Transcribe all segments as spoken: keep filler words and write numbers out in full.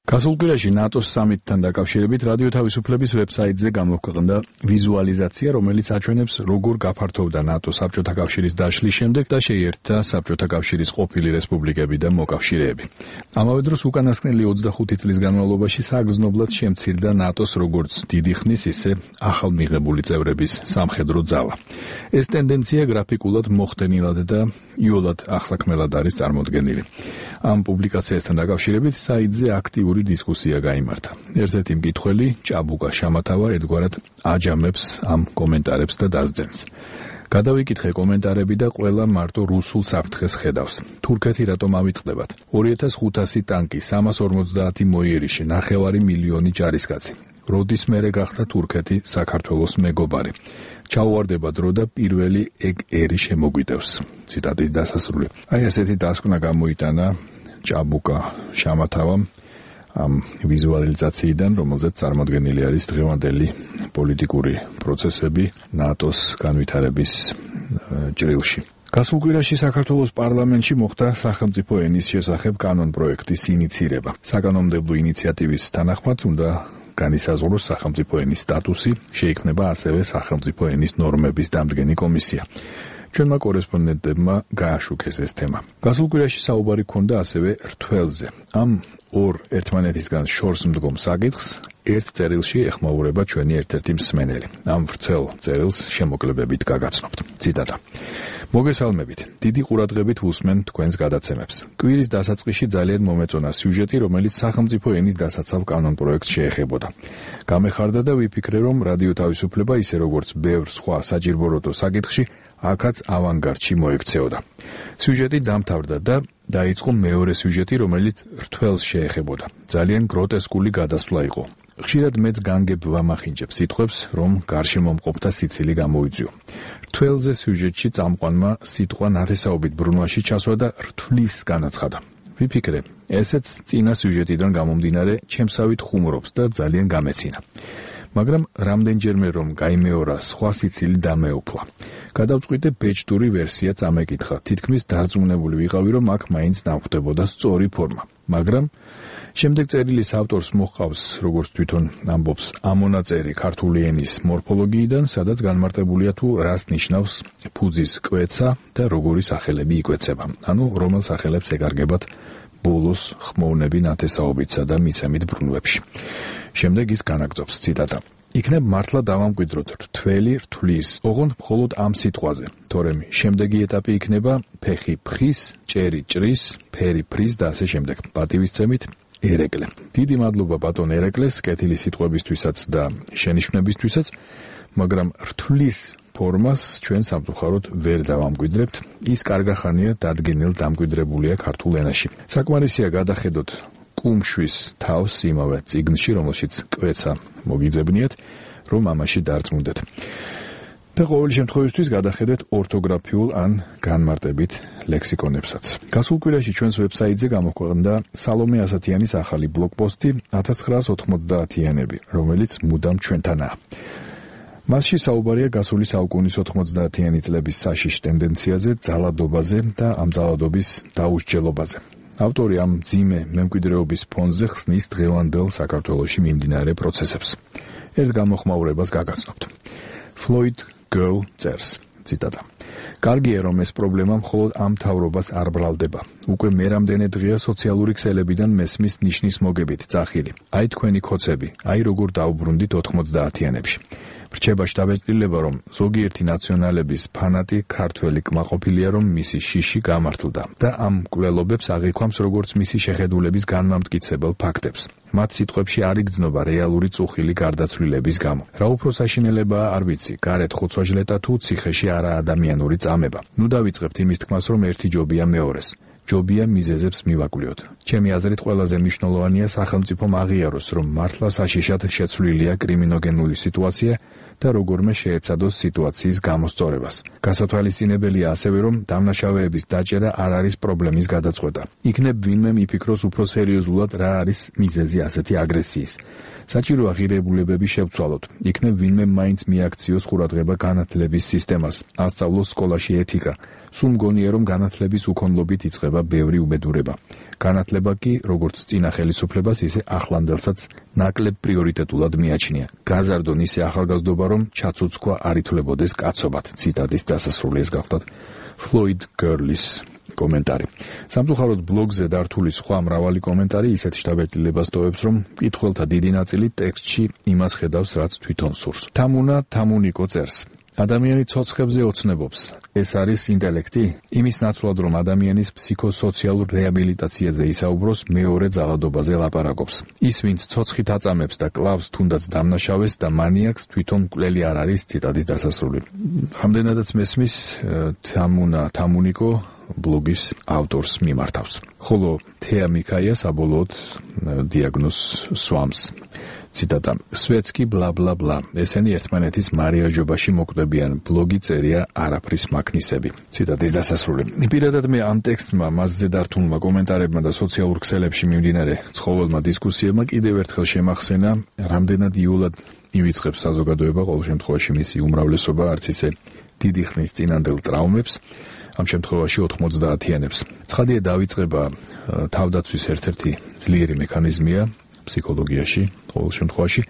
გასულ კვირაში ნატოს სამიტთან დაკავშირებით რადიო თავისუფლების ვებსაიტზე გამოქვეყნდა ვიზუალიზაცია, რომელიც აჩვენებს, როგორ გაფართოვდა ნატო საბჭოთა კავშირის დაშლის შემდეგ და შეიერთა საბჭოთა კავშირის ყოფილი რესპუბლიკები და მოკავშირეები. ამავე დროს უკანასკნელი ოცდახუთი წლის განმავლობაში საგრძნობლად შემცირდა ნატოს როგორც დიდი ხნის, ისე ახალმიღებული წევრების სამხედრო ძალა. ეს ტენდენცია გრაფიკულად მოხდენილად და იოლად ახსაქმელად არის წარმოდგენილი. ამ პუბლიკაციასთან დაკავშირებით საიტზე აქტიური დისკუსია გაიმართა. ერთ-ერთი მკითხველი, ჭაბუკა შამათავა, ერთგვარად აჯამებს ამ კომენტარებს და დასძენს. გადავიკითხე კომენტარები და ყველა მარტო რუსულ საფრთხეს ხედავს. თურქეთი რატომ ავიწყდებათ? ორი ათას ხუთასი ტანკი, სამას ორმოცდაათი მოიერიში, ნახევარი მილიონი ჯარისკაცი. როდის მერე გახდა თურქეთი საქართველოს მეგობარი? ჩაუვარდება დრო და პირველი ეგ ერი შემოგვიდევს. ციტატის დასასრული. აი ასეთი დასკვნა გამოიტანა ჭაბუკა შამათავამ ამ ვიზუალიზაციიდან, რომელზეც წარმოდგენილი არის დღევანდელი პოლიტიკური პროცესები ნატოს განვითარების ჭრილში. გასულ კვირაში საქართველოს პარლამენტში მოხდა სახელმწიფო ენის შესახებ კანონ-პროექტის ინიცირება. საკანონმდებლო ინიციატივის თანახმად უნდა განისაზღვროს სახელმწიფო ენის სტატუსი, შეიქმნება ასევე სახელმწიფო ენის ნორმების დამდგენი კომისია. ჩვენმა კორესპონდენტებმა გააშუქეს ეს თემა. გასულ კვირაში საუბარი ჰქონდა ასევე რთველზე. ამ ორ ერთმანეთისგან შორს მდგომ საკითხს ერთ წერილში ეხმაურება ჩვენი ერთ-ერთი მსმენელი. ამ ვრცელ წერილს შემოკლებებით გაგაცნობთ. ციტატა. მოგესალმებით. დიდი ყურადღებით ვუსმენ თქვენს გადაცემებს. კვირის დასაწყისში ძალიან მომეწონა სიუჟეტი, რომელიც სახელმწიფო ენის დასაცავ კანონ-პროექტს შეეხებოდა. გამეხარდა და ვიფიქრე, რომ რადიო თავისუფლება, ისე როგორც ბევრ სხვა საჭიროებო საკითხში, აქაც ავანგარდში მოექცეოდა. სიუჟეტი დამთავრდა და დაიწყო მეორე სიუჟეტი, რომელიც რთველს შეეხებოდა. ძალიან გროტესკული გადასვლა იყო. ხშირად მეც განგებ ვამახინჯებ სიტყვებს, რომ გარშემო მყოფთა სიცილი გამოიძიო. რთველზე სიუჟეტში წამყვანმა სიტყვა ნათესაობით ბრუნვაში ჩასვა და რთვლის განაცხადა. ვიფიქრე, ესეც წინა სიუჟეტიდან გამომდინარე ჩემსავით ხუმრობს და ძალიან გამეცინა. მაგრამ რამდენჯერმე რომ გაიმეორა, სხვა სიცილი დამეუფლა. გადავწყვიტე ბეჭდური ვერსია წამეკითხა. თითქმის დარწმუნებული ვიყავი, რომ აქ მაინც დამხვდებოდა სწორი ფორმა. მაგრამ შემდეგ წერილის ავტორს მოჰყავს, როგორც თვითონ ამბობს, ამონაწერი ქართული ენის მორფოლოგიიდან, სადაც განმარტებულია თუ რას ნიშნავს ფუძის კვეცა და როგორი სახელები იკვეცება. ანუ რომელ სახელებს ეკარგებათ ბოლოს ხმოვნები ნათესაობისა და მიცემით ბრუნვებში. შემდეგ ის განაგრძობს, ციტატა. იქნებ მართლა დავამკვიდროთ რთველი რთვლის, ოღონდ მხოლოდ ამ სიტყვაზე, თორემ შემდეგი ეტაპი იქნება ფეხი ფხის, ჭერი ჭრის, ფერი ფრის და ასე შემდეგ. პატივისცემით ერეკლე. დიდი მადლობა ბატონ ერეკლეს კეთილი სიტყვებისთვისაც და შენიშვნებისთვისაც, მაგრამ რთვლის ფორმას ჩვენ სამწუხაროდ ვერ დავამკვიდრებთ. ის კარგახანია დადგენილ დამკვიდრებულია ქართულ ენაში. საკმარისია გადახედოთ კუმშვის თავს იმავე წიგნში, რომელშიც კვეცა მოგიძებნიათ, რომ ამაში დარწმუნდეთ. და ყოველი შემთხვევისთვის გადახედეთ ორთოგრაფიულ ან განმარტებით ლექსიკონებსაც. გასულ კვირაში ჩვენს ვებსაიტზე გამოქვეყნდა სალომე ასათიანის ახალი ბლოგპოსტი ათას ცხრაას ოთხმოცდაათიანები, რომელიც მუდამ ჩვენთანაა. მასში საუბარია გასული საუკუნის ოთხმოცდაათიანი წლების საშიშ ტენდენციაზე, ძალადობაზე და ამ ძალადობის დაუსჯელობაზე. ავტორი ამ მძიმე მემკვიდრეობის ფონზე ხსნის დღევანდელ საქართველოში მიმდინარე პროცესებს. ერთ გამოხმაურებას გაგაცნობთ. Floyd Girl წერს, ციტატა. კარგია, რომ ეს პრობლემა მხოლოდ ამ მთავრობას არ ბრალდება. უკვე მერამდენე დღეა სოციალური ქსელებიდან მესმის ნიშნის მოგებით ძახილი. აი თქვენი ქოცები, აი როგორ დაუბრუნდით ოთხმოცდაათიანებში. რჩება შთაბეჭდილება, რომ ზოგიერთი ნაციონალების ფანატი ქართველი კმაყოფილია, რომ მისი შიში გამართლდა და ამ მკვლელობებს აღიქვამს როგორც მისი შეხედულების განმამტკიცებელ ფაქტებს. მათ სიტყვებში არ იგრძნობა რეალური წუხილი გარდაცვლილების გამო. რა უფრო საშინელებაა არ ვიცი, გარეთ ხოცვა-ჟლეტა თუ ციხეში არაადამიანური წამება. ნუ დავიწყებთ იმის თქმას, რომ ერთი ჯობია მეორეს. ჯობია მიზეზებს მივაკვლიოთ. ჩემი აზრით ყველაზე მნიშვნელოვანია სახელმწიფომ აღიაროს, რომ მართლა საშიშად შეცვლილია კრიმინოგენული სიტუაცია და როგორმე შეეცადოს სიტუაციის გამოსწორებას. გასათვალისწინებელია ასევე, რომ დამნაშავეების დაჭერა არ არის პრობლემის გადაწყვეტა. იქნებ ვინმე მიფიქროს უფრო სერიოზულად რა არის მიზეზი ასეთი აგრესიის. საჭიროა ღირებულებები შევცვალოთ. იქნებ ვინმე მაინც მიაქციოს ყურადღება განათლების სისტემას, ასწავლოს სკოლაში ეთიკა. სულ მგონია, რომ განათლების უქონლობით იწყება ბევრი უბედურება. განათლება კი როგორც წინა ხელისუფლებას, ისე ახლანდელსაც ნაკლებ პრიორიტეტულად მიაჩნია. გაზარდონ ისე ახალგაზრდობა, რომ ჩაცუცქვა არ ითვლებოდეს კაცობად. ციტატის დასასრული ეს გახლდათ Floyd Gurley-ის კომენტარი. სამწუხაროდ ბლოგზე დართული სხვა მრავალი კომენტარი ისეთ შთაბეჭდილებას ტოვებს, რომ მკითხველთა დიდი ნაწილი ტექსტში იმას ხედავს, რაც თვითონ სურს. თამუნა თამუნიკო წერს. ადამიანი ცოცხებზე ოცნებობს. ეს არის ინტელექტი? იმის ნაცვლად, რომ ადამიანის ფსიქოსოციალურ რეაბილიტაციაზე ისაუბროს, მეორე ძალადობაზე ლაპარაკობს. ის, ვინც ცოცხით აწამებს და კლავს თუნდაც დამნაშავეს და მანიაკს, თვითონ მკვლელი არ არის. ციტატის დასასრული. რამდენადაც მესმის თამუნა თამუნიკო ბლოგის ავტორს მიმართავს. ხოლო თეა მიქაია საბოლოოდ დიაგნოზს სვამს. ციტატა: სვეტსკი ბლა ბლა ბლა. ესენი ერთმანეთის მარიაჟობაში მოკვდებიან. ბლოგი წერია არაფრის მაქნისები. ციტატის დასასრული. პირადად მე ამ ტექსტმა, მასზე დართულმა კომენტარებმა და სოციალურ ქსელებში მიმდინარე ცხოველმა დისკუსიებმა კიდევ ერთხელ შემახსენა, რამდენად იოლად ივიწყებს საზოგადოება ყოველ შემთხვევაში მისი უმრავლესობა არც ისე დიდი ხნის წინანდელ ტრაუმებს, ამ შემთხვევაში ოთხმოცდაათიანებს. ცხადია, დავიწყება თავდაცვის ერთ-ერთი ძლიერი მექანიზმია ფსიქოლოგიაში, ყოველ შემთხვევაში,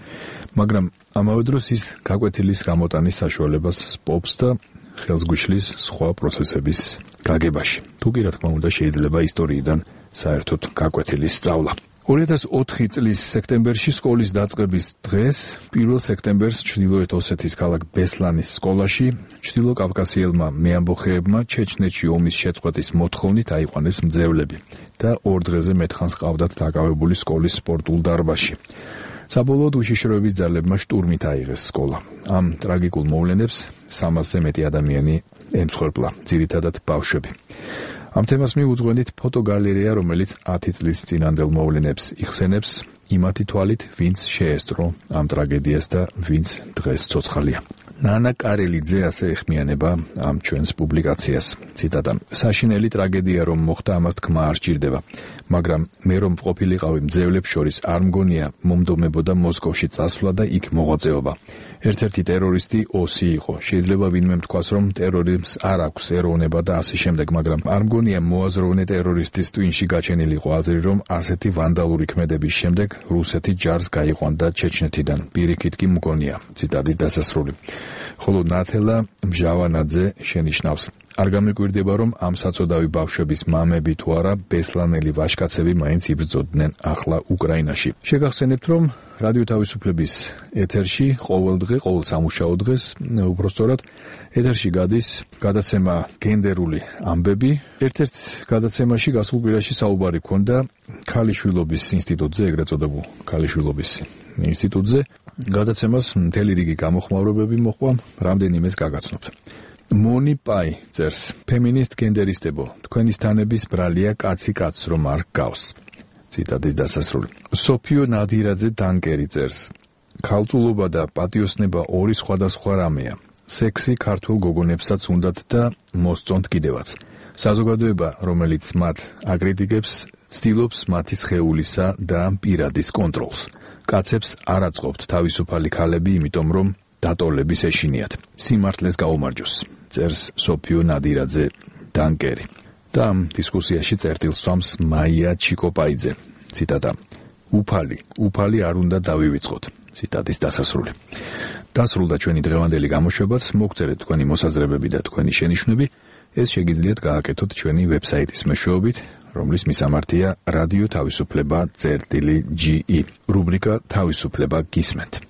მაგრამ ამავე დროს ის გაკვეთილის გამოტანის საშუალებას სპობს და ხელს გვიშლის სხვა პროცესების გაგებაში. თუ კი რა თქმა უნდა შეიძლება ისტორიიდან საერთოდ გაკვეთილის სწავლა. ორი ათას ოთხი წლის სექტემბერში სკოლის დაწყების დღეს, პირველ სექტემბერს ჩრდილოეთ ოსეთის ქალაქ ბესლანის სკოლაში ჩრდილოკავკასიელმა მეამბოხეებმა ჩეჩნეთში ომის შეწყვეტის მოთხოვნით აიყვანეს მძევლები და ორ დღეზე მეთხანს ყავდათ დაკავებული სკოლის სპორტულ დარბაზში. საბოლოოდ უშიშროების ძალებმა შტურმით აიღეს სკოლა. ამ ტრაგიკულ მოვლენებს სამასზე მეტი ადამიანი ემსხვერპლა, ძირითადად ბავშვები. ამ თემას მიუძღვენით ფოტოგალერეა, რომელიც ათი წლის წინანდელ მოვლენებს იხსენებს, იმათი თვალით, ვინც შეესწრო ამ ტრაგედიას და ვინც დღეს ცოცხალია. ნანა კარელიძე ასე ეხმიანება ამ ჩვენს პუბლიკაციას. ციტატა: საშინელი ტრაგედია რომ მოხდა, ამას თქმა არ სჭირდება, მაგრამ მე რომ ყოფილიყავი მძევლებს შორის, არ მგონია მომდომებოდა მოსკოვში წასვლა და იქ მოღვაწეობა. ერთ-ერთი ტერორისტი ოსი იყო. შეიძლება ვინმე თქვას, რომ ტერორიზმს არ აქვს ეროვნება და ასე შემდეგ, მაგრამ არ მგონია მოაზროვნე ტერორისტის ტვინში გაჩენილიყო აზრი, რომ ასეთი ვანდალური ქმედების შემდეგ რუსეთი ჯარს გაიყვანდა ჩეჩნეთიდან. პირიქით კი მგონია. ციტატის დასასრული. ხოლო ნათელა მჟავანაძე შენიშნავს: არ გამიკვირდება, რომ ამ საწოდავი ბავშვების მამები თუ არა ბესლანელი ვაჟკაცები მაინც იბრძოდნენ ახლა უკრაინაში. შეგახსენებთ, რომ რადიო თავისუფლების ეთერში ყოველ დღე, ყოველ სამუშაო დღეს, უბრალოდ ეთერში გადის გადაცემა გენდერული ამბები. ერთ-ერთ გადაცემაში გასულ კვირაში საუბარი ჰქონდა ქალიშვილობის ინსტიტუტზე, ეგრეთ წოდებულ ქალიშვილობის ინსტიტუტზე. გადაცემას მთელი რიგი გამოხმაურებები მოჰყვა, რამდენიმეს გაგაცნობთ. მონი პაი წერს: ფემინისტ გენდერისტებო, თქვენი სტანების ბრალია კაცი კაცს რომ არ გავს. ციტატის დასასრული. სოფიო ნადირაძე დანკერი წერს: ქალწულობა და პატიოსნება ორი სხვადასხვა რამეა. სექსი ქართულ გოგონებსაც უნდათ და მოსწონთ კიდევაც. საზოგადოება, რომელიც მათ აკრიტიკებს, ცდილობს მათი სხეულისა და პირადის კონტროლს. კაცებს არ აწყობთ თავისუფალი ქალები, იმიტომ რომ დატოლების ეშინიათ. სიმართლეს გაუმარჯოს, წერს სოფიო ნადირაძე დანკერი. და ამ დისკუსიაში წერტილს სვამს მაია ჩიკოპაიძე. ციტატა: უფალი, უფალი არ უნდა დავივიწყოთ. ციტატის დასასრული. დასრულდა ჩვენი დღევანდელი გამოშვებაც. მოგწერეთ თქვენი მოსაზრებები და თქვენი შენიშვნები. ეს შეგიძლიათ გააკეთოთ ჩვენი ვებსაიტის მეშვეობით, რომლის მისამართია რადიო თავისუფლება წერტილი ჯი ი. რუბრიკა თავისუფლება გისმენთ.